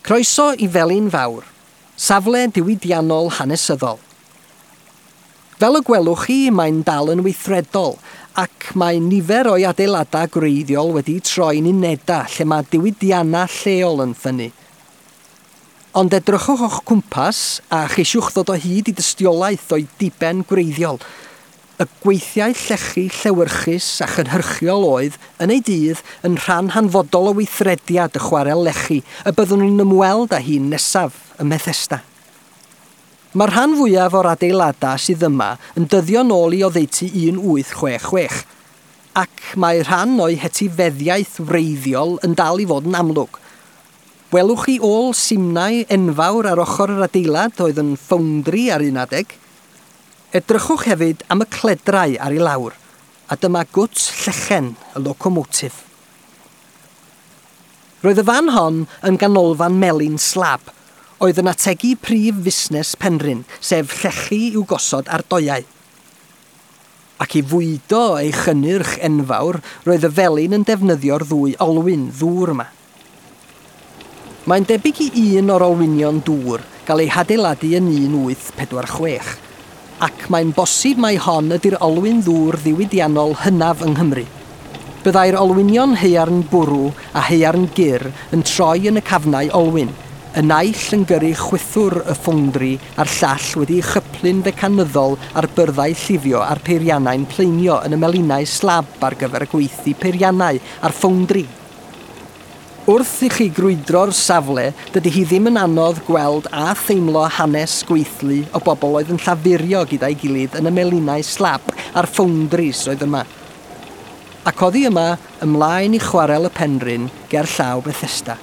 Croeso i Felin Fawr, safle diwydiannol hanesyddol. Fel y gwelwch chi, mae'n dal yn weithredol, ac mae nifer o'i adeiladau gwreiddiol wedi troi'n unedau lle mae diwydiannau lleol yn ffynnu. Ond edrychwch o'ch cwmpas a cheisiwch ddod o hyd i dystiolaeth o'i diben gwreiddiol. Y gweithiau llechi llewyrchus a chynhyrchiol oedd, yn ei dydd, yn rhan hanfodol o weithrediad y chwarel lechi y byddwn ni'n ymweld â hi'n nesaf ym Methesda. Mae'r rhan fwyaf o'r adeiladau sydd yma yn dyddio nôl i oddeutu 1866, ac mae rhan o'i hetifeddiaeth wreiddiol yn dal i fod yn amlwg. Welwch chi ôl simnai enfawr ar ochr yr adeilad oedd yn ffowndri ar un adeg? Edrychwch hefyd am y cledrau ar ei lawr, a dyma gwt llechen y locomotif. Roedd y fan hon yn ganolfan melin slab, oedd yn ategu prif fusnes Penrhyn, sef llechi i'w gosod ar doiau. Ac i fwydo ei chynnyrch enfawr, roedd y felin yn defnyddio'r ddwy olwyn ddŵr yma. Mae'n debyg i un o'r olwynion dŵr gael ei hadeiladu yn 1846, ac mae'n bosib mai hon ydy'r olwyn ddŵr ddiwydiannol hynaf yng Nghymru. Byddai'r olwynion haearn bwrw a haearn gyr yn troi yn y cafnau olwyn, y naill yn gyrru chwythwr y ffowndri a'r llall wedi'i chyplu'n fecanyddol ar byrddau llifio a'r peiriannau'n pleinio yn y melinau slab ar gyfer y gweithdy peiriannau a'r ffowndri. Wrth i chi grwydro'r safle, dydy hi ddim yn anodd gweld a theimlo hanes gweithlu o bobl oedd yn llafurio gyda'i gilydd yn y melinau slab a'r ffowndris oedd yma. Ac oddi yma, ymlaen i chwarel y Penrhyn ger llaw Bethesda.